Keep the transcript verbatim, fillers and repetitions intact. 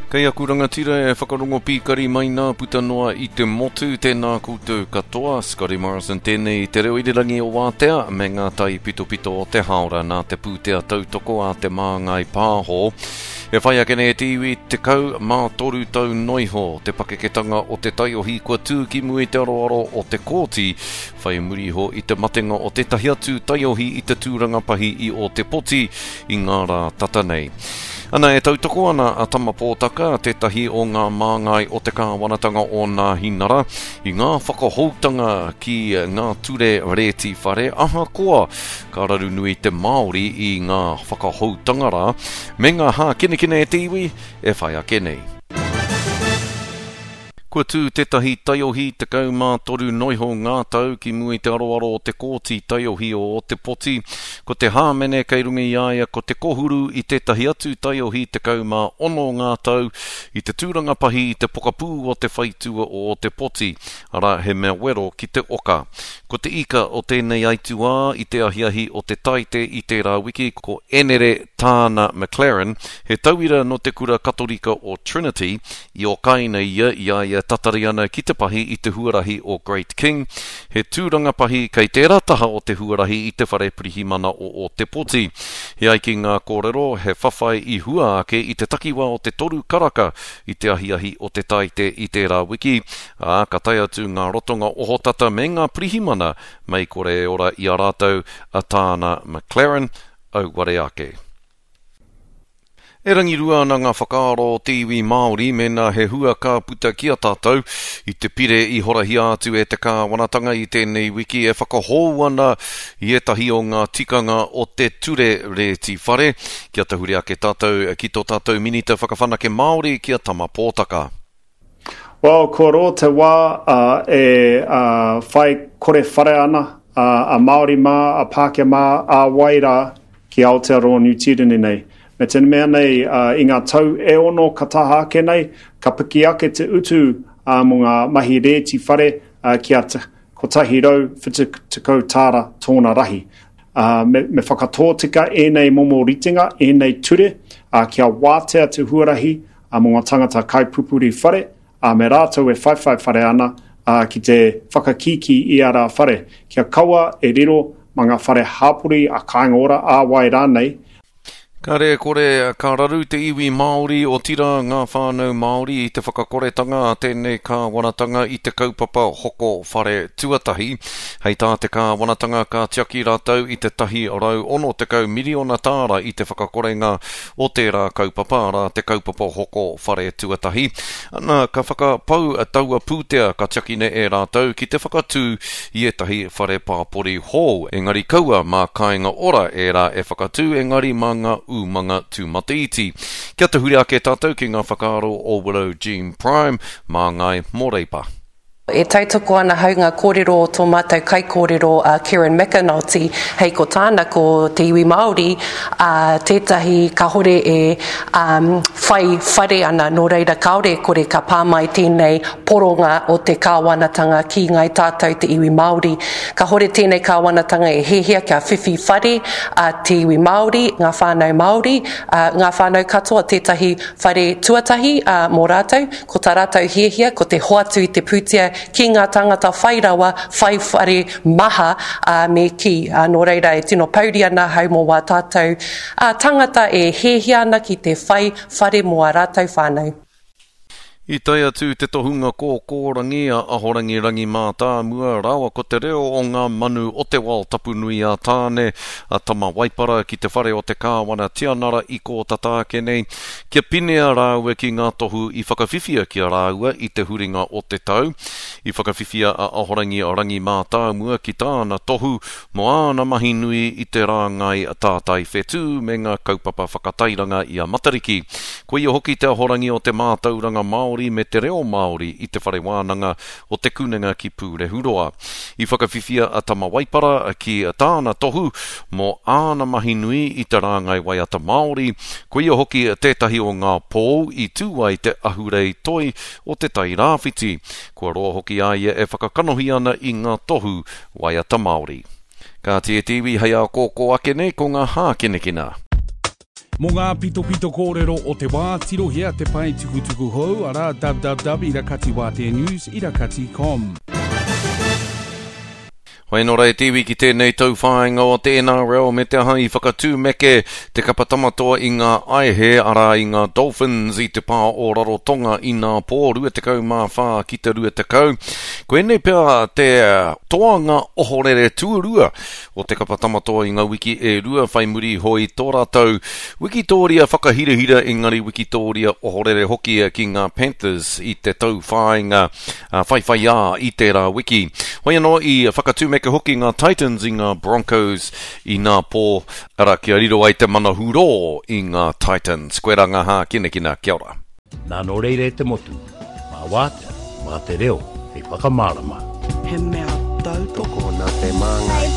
Kei aku rangatira e whakarongo pīkari mai nā puta noa i te motu, tēnā koutou katoa, Scotty Morrison tēnei i te reo irirangi o Wātea me ngā tai pitopito o te haora nā te pūtea tautoko a te Māngai Pāho. E whai ake nei e te iwi tekau mā toru tau noiho te pakeketanga o te taiohi kua tū ki mua i te aroaro o te kōti whai muri iho i te matenga o tētahi atu taiohi i te tūranga pahi i Ōtepoti i ngā rā tata nei. Ana e tautoko ana a Tama Pōtaka, tētahi o ngā māngai o te kāwanatanga o Nāhinara, i ngā whakahoutanga ki ngā ture rēti whare, ahakoa ka raru nui te Māori i ngā whakahoutanga rā, me ngā hākinakina e te iwi e whai ake nei. Kua tū tētahi taiohi tekau mā toru noiho ngā tau ki mua i te aroaro o te kōti taiohi o Ōtepoti. Ko te hāmene kei runga i a ia ko te kohuru i tētahi atu taiohi tekau mā ono ngā tau i te tūranga pahi i te pokapū o te whaitua o Ōtepoti, arā he mea wero ki te oka. Ko te ika o tēnei aituā i te ahiahi o te Taite i tērā wiki ko Enere Tāna McLaren, he tauira nō te kura Katorika o Trinity, i okaina ia i a ia tatari ana ki te pahi i te huarahi o Great King, he tūranga pahi kei tērā taha o te huarahi i te whare pirihimana o Ōtepoti. E ai ki ngā kōrero, he whawhai i hua ake i te takiwā o te toru karaka i te ahiahi o te Taite i tērā wiki, ā, ka tae atu ngā rotonga ohotata me ngā pirihimana mei kore e ora i a rātou a Tāna McLaren, auare ake. E rangirua ana ngā whakaaro o te iwi Māori mēnā he hua ka puta ki a tātou i te pire i horahia atu e te kāwanatanga i tēnei wiki e whakahou ana i ētahi o ngā tikanga o te ture rēti whare. Kia tahuri ake tātou ki tō tātou Minita Whakawhanake Māori ki a Tama Pōtaka. Well, kua roa te wā e whai kore whare ana a Māori mā, a Pākehā mā, a wai rā ki Aotearoa Niu Tīreni nei. Me te mea nei, i ngā tau e ono ka taha ake nei, ka piki ake te utu mō ngā mahi rēti whare kia kotahi rau whitu tekau tāra tōna rahi. Me, me whakatōtika ēnei momo ritenga, ēnei ture, kia wātea te huarahi mō ngā tangata kaipupuri whare, me rātou e whaiwhai whare ana ki te whakakīkī i ā rā whare, kia kaua e riro mā ngā whare hāpori a Kāinga Ora, ā wai rānei. Kāre e kore, ka raru te iwi Māori, otirā ngā whānau Māori i te whakakoretanga a tēnei kāwanatanga i te kaupapa hoko whare tuatahi. Hei tā te kāwanatanga ka tiaki rātou i te tahi rau ono tekau miriona tāra i te whakakorenga o tērā kaupapa, arā te kaupapa hoko whare tuatahi. Ana, ka whakapau taua pūtea ka tiakina e rātou ki te whakatū i ētahi whare pāpori hou. Engari kaua mā Kāinga Ora ērā e whakatū, engari mā ngā umanga tūmataiti. Kia tahuri ake tātou ki ngā whakaaro o Willow Jean Prime, māngai mō Reipa. E tautoko ana hau ngā kōrero o tō mātou kaikōrero a Kieran McAnulty, hei ko tāna ko te iwi Māori a tētahi kāhore e um, whai whare ana, nō reira kāore e kore ka pā mai tēnei poronga o te kāwanatanga ki ngāi tātou te iwi Māori. Kāhore tēnei kāwanatanga e hiahia kia whiwhi whare a te iwi Māori, ngā whānau Māori, a, ngā whānau katoa tētahi whare tuatahi a, mō rātou, ko tā rātou hiahia ko te hoatu i te pūtea ki ngā tāngata whai rawa, whai whare maha, ā, me kī, ā, nō reira e tino pouri ana ahau mō wā tātou, ā, tāngata e hiahia ana ki te whai whare mō ā rātou whānau. I tae atu te tohunga kōkōrangi a Ahorangi Rangi Mātāmua rāua ko te reo o ngā manu o te wao tapu nui a Tāne, a Tama Waipara ki te whare o te Kāwana Tianara i kō tata ake nei, kia pinea rāua ki ngā tohu i whakawhiwhia ki a rāua i te huringa o te tau. I whakawhiwhia a Ahorangi Rangi Mātāmua ki tāna tohu mō āna mahi nui i te rāngai tātai whetū me ngā kaupapa whakatairanga i a Matariki. Ko ia hoki te ahorangi o te mātauranga Māori me te reo Māori i te whare wānanga o Te Kunenga ki Pūrehuroa. I whakawhiwhia a Tama Waipara ki tāna tohu mō āna mahi nui i te rāngai waiata Māori, ko ia hoki tētahi o ngā pou i tū ai te ahurei toi o Te Tai Rāwhiti. Kua roa hoki a ia e whakakanohi ana i ngā tohu waiata Māori. Kāti e te iwi hei ākōkō ake nei ko ngā hākinakina. Mō ngā pitopito kōrero o te wā, tirohia te pae tukutuku hou, arā www irakatiwāteanews irakati com. Hoi anō rā e te iwi ki tēnei tauwhāinga o te N R L me te aha i whakatūmeke te kapa tamatoa i ngā aihe, arā i ngā Dolphins i te pā o Rarotonga i nā pō rua tekau mā whā ki te rua tekau. Koinei pea te toanga ohorere tuarua o te kapa tamatoa i ngā wiki e rua whai muri hoi tō rātou wikitōria whakahirahira engari wikitōria ohorere hoki ki ngā Panthers i te tauwhāinga whaiwhaiā i tērā wiki. Hoi anō i whakatūmeke hoki ngā Titans i ngā Broncos i nā pō, ara kia riro ai te mana hurō i ngā Titans. Koe rā ngā hākinakina, kia ora. Nā nō reira e te motu, mā wātea, mā te reo, hei whakamārama. He mea tautoko nā te Māngai.